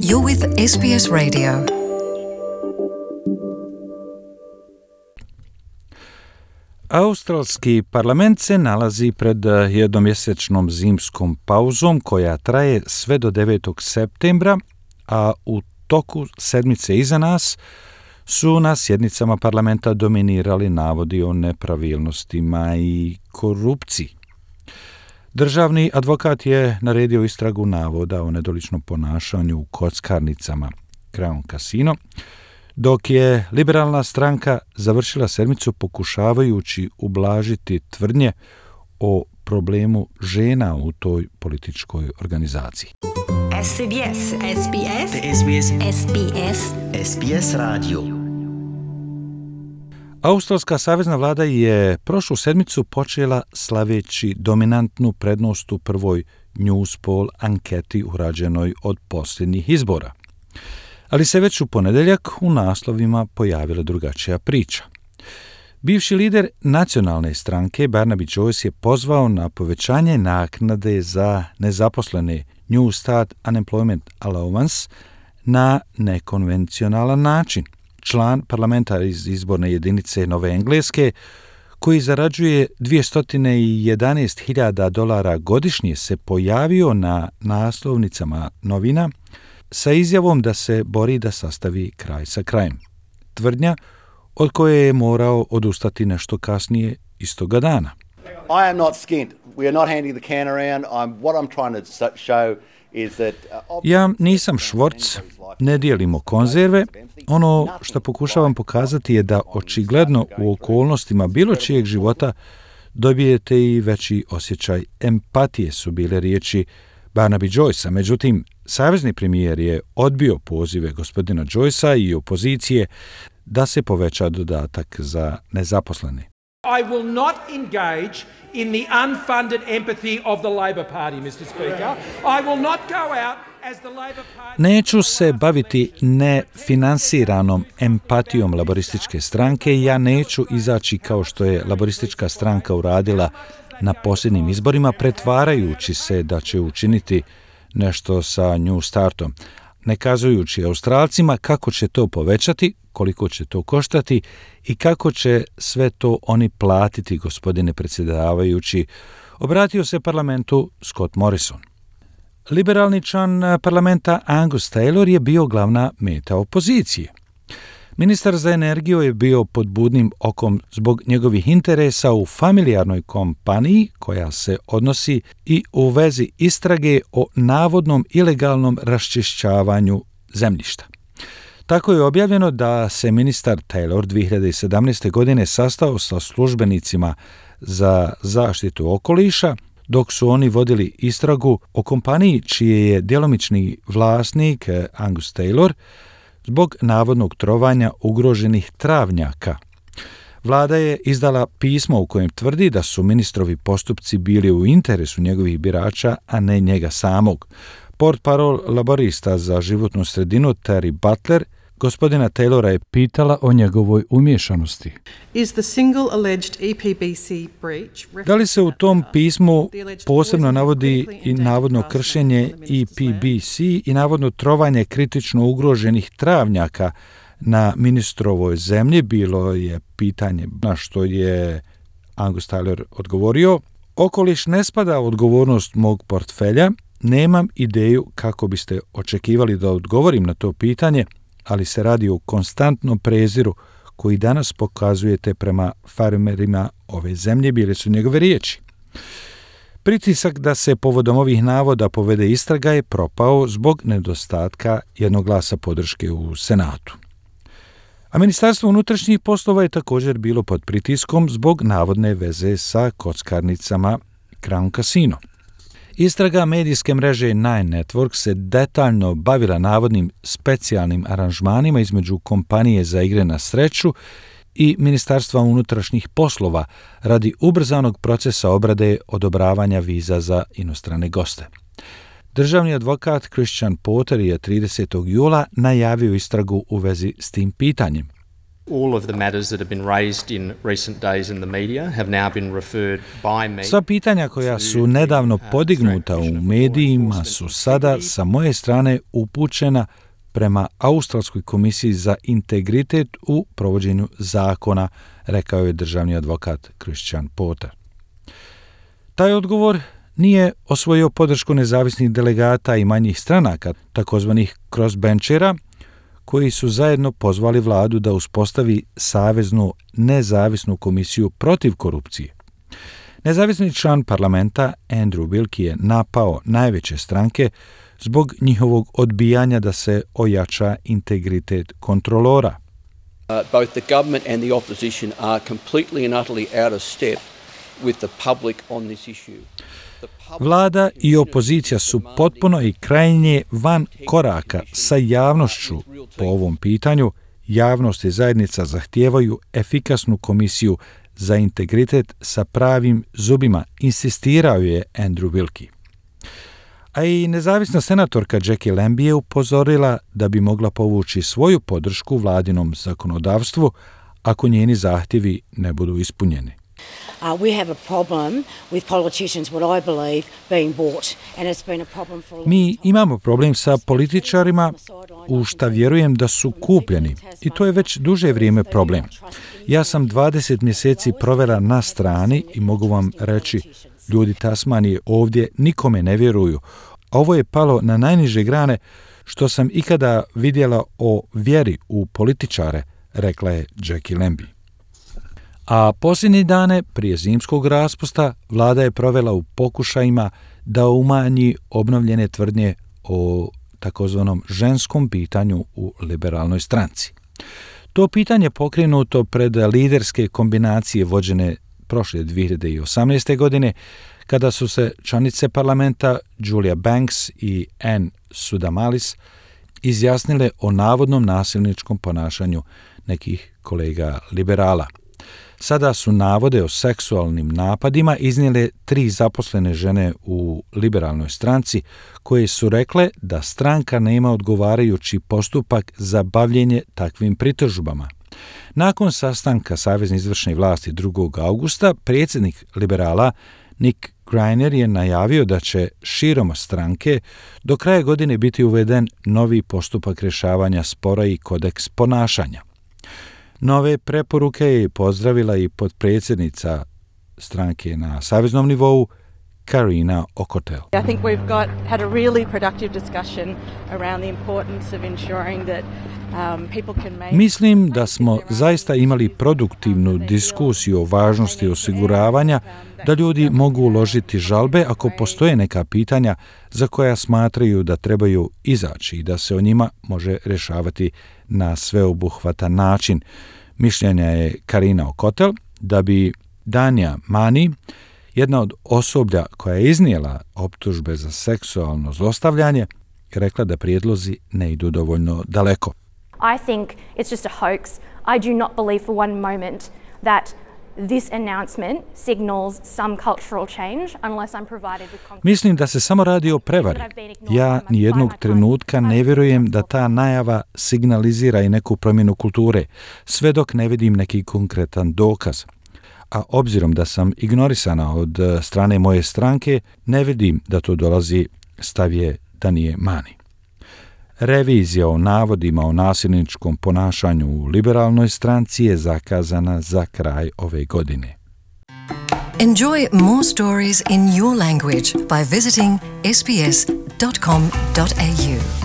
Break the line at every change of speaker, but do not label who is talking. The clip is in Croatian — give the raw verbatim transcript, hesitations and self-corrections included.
You're with S B S Radio.
Australski parlament se nalazi pred jednomjesečnom zimskom pauzom koja traje sve do devetog septembra, a u toku sedmice iza nas su na sjednicama parlamenta dominirali navodi o nepravilnostima i korupciji. Državni advokat je naredio istragu navoda o nedoličnom ponašanju u kockarnicama Crown Casino, dok je liberalna stranka završila sedmicu pokušavajući ublažiti tvrdnje o problemu žena u toj političkoj organizaciji.
S B S, S B S,
S B S,
S B S,
S B S radio.
Australska savezna vlada je prošlu sedmicu počela slaveći dominantnu prednost u prvoj Newspoll anketi urađenoj od posljednjih izbora. Ali se već u ponedjeljak u naslovima pojavila drugačija priča. Bivši lider nacionalne stranke Barnaby Joyce je pozvao na povećanje naknade za nezaposlene New Start Unemployment Allowance na nekonvencionalan način. Član parlamenta iz izborne jedinice Nove Engleske, koji zarađuje dvjesto jedanaest hiljada dolara godišnje, se pojavio na naslovnicama novina sa izjavom da se bori da sastavi kraj sa krajem. Tvrdnja od koje je morao odustati nešto kasnije istoga dana.
I am not skint. We are not handing the can around. I'm, what I'm trying to show is that... Uh,
ja nisam švorc, ne dijelimo konzerve. Ono što pokušavam pokazati je da očigledno u okolnostima bilo čijeg života dobijete i veći osjećaj empatije, su bile riječi Barnaby Joycea. Međutim, savezni premijer je odbio pozive gospodina Joycea i opozicije da se poveća dodatak za nezaposlene.
I will not engage in the unfunded empathy of the Labor Party, mister Speaker. I will not go out as the Labor Party...
Neću se baviti nefinansiranom empatijom laborističke stranke. Ja neću izaći kao što je laboristička stranka uradila na posljednjim izborima, pretvarajući se da će učiniti nešto sa New Startom, ne kazujući Australcima kako će to povećati, koliko će to koštati i kako će sve to oni platiti, gospodine predsjedavajući, obratio se parlamentu Scott Morrison. Liberalni član parlamenta Angus Taylor je bio glavna meta opozicije. Ministar za energiju je bio pod budnim okom zbog njegovih interesa u familijarnoj kompaniji koja se odnosi i u vezi istrage o navodnom ilegalnom raščišćavanju zemljišta. Tako je objavljeno da se ministar Taylor dvije hiljade sedamnaeste. godine sastao sa službenicima za zaštitu okoliša, dok su oni vodili istragu o kompaniji čiji je djelomični vlasnik Angus Taylor zbog navodnog trovanja ugroženih travnjaka. Vlada je izdala pismo u kojem tvrdi da su ministrovi postupci bili u interesu njegovih birača, a ne njega samog. Portparol laborista za životnu sredinu Terry Butler gospodina Taylora je pitala o njegovoj umiješanosti. Da li se u tom pismu posebno navodi i navodno kršenje E P B C i navodno trovanje kritično ugroženih travnjaka na ministrovoj zemlji? Bilo je pitanje na što je Angus Taylor odgovorio: okoliš ne spada u odgovornost mog portfelja, nemam ideju kako biste očekivali da odgovorim na to pitanje, ali se radi o konstantnom preziru koji danas pokazujete prema farmerima ove zemlje, bile su njegove riječi. Pritisak da se povodom ovih navoda povede istraga je propao zbog nedostatka jednog glasa podrške u Senatu. A Ministarstvo unutrašnjih poslova je također bilo pod pritiskom zbog navodne veze sa kockarnicama Crown Casino. Istraga medijske mreže Nine Network se detaljno bavila navodnim specijalnim aranžmanima između kompanije za igre na sreću i Ministarstva unutrašnjih poslova radi ubrzanog procesa obrade odobravanja viza za inostrane goste. Državni advokat Christian Porter je tridesetog jula najavio istragu u vezi s tim pitanjem.
All of the matters that have been raised in recent days in the media have now been referred by me.
Sva pitanja koja su nedavno podignuta u medijima su sada sa moje strane upućena prema Australskoj komisiji za integritet u provođenju zakona, rekao je državni advokat Christian Porter. Taj odgovor nije osvojio podršku nezavisnih delegata i manjih stranaka, takozvanih crossbenchera, koji su zajedno pozvali vladu da uspostavi saveznu nezavisnu komisiju protiv korupcije. Nezavisni član parlamenta Andrew Wilkie je napao najveće stranke zbog njihovog odbijanja da se ojača integritet kontrolora.
Uh, both the government and the opposition are completely and utterly out of step with the public on this issue.
Vlada i opozicija su potpuno i krajnje van koraka sa javnošću po ovom pitanju. Javnost i zajednica zahtijevaju efikasnu komisiju za integritet sa pravim zubima, insistirao je Andrew Wilkie. A i nezavisna senatorka Jackie Lambie je upozorila da bi mogla povući svoju podršku vladinom zakonodavstvu ako njeni zahtjevi ne budu ispunjeni.
Uh, we have a problem with politicians, what I believe, being bought, and it's been a problem for a long
Mi imamo problem sa političarima u šta vjerujem da su kupljeni i to je već duže vrijeme problem. Ja sam dvadeset mjeseci provela na strani i mogu vam reći, ljudi Tasmanije ovdje nikome ne vjeruju. Ovo je palo na najniže grane što sam ikada vidjela o vjeri u političare, rekla je Jackie Lambie. A posljednje dane prije zimskog raspusta vlada je provela u pokušajima da umanji obnovljene tvrdnje o takozvanom ženskom pitanju u liberalnoj stranci. To pitanje pokrenuto pred liderske kombinacije vođene prošle dvije hiljade osamnaeste. godine, kada su se članice parlamenta Julia Banks i Ann Sudamalis izjasnile o navodnom nasilničkom ponašanju nekih kolega liberala. Sada su navode o seksualnim napadima iznijele tri zaposlene žene u liberalnoj stranci koje su rekle da stranka nema odgovarajući postupak za bavljenje takvim pritužbama. Nakon sastanka Savezne izvršne vlasti drugog augusta, predsjednik liberala Nick Greiner je najavio da će širom stranke do kraja godine biti uveden novi postupak rješavanja spora i kodeks ponašanja. Nove preporuke je pozdravila i potpredsjednica stranke na saveznom nivou Karina Okotel.
I think we've got had a really productive discussion around the importance of ensuring that um, people can make
Mislim da smo zaista imali produktivnu diskusiju o važnosti osiguravanja da ljudi mogu uložiti žalbe ako postoje neka pitanja za koja smatraju da trebaju izaći i da se o njima može rješavati na sveobuhvatan način. Mišljenja je Karina Okotel da bi Danja Mani, jedna od osoblja koja je iznijela optužbe za seksualno zlostavljanje, rekla da prijedlozi ne idu dovoljno daleko.
I think it's just a hoax. I do not believe for one moment that this announcement signals some cultural change unless I'm provided with concrete.
Mislim da se samo radi o prevari. Ja nijednog trenutka ne vjerujem da ta najava signalizira i neku promjenu kulture, sve dok ne vidim neki konkretan dokaz. A obzirom da sam ignorisana od strane moje stranke, ne vidim da to dolazi, stav je Danje Mani. Revizija o navodima o nasilničkom ponašanju u liberalnoj stranci je zakazana za kraj ove godine.
Enjoy more stories in your language by visiting s b s dot com dot a u.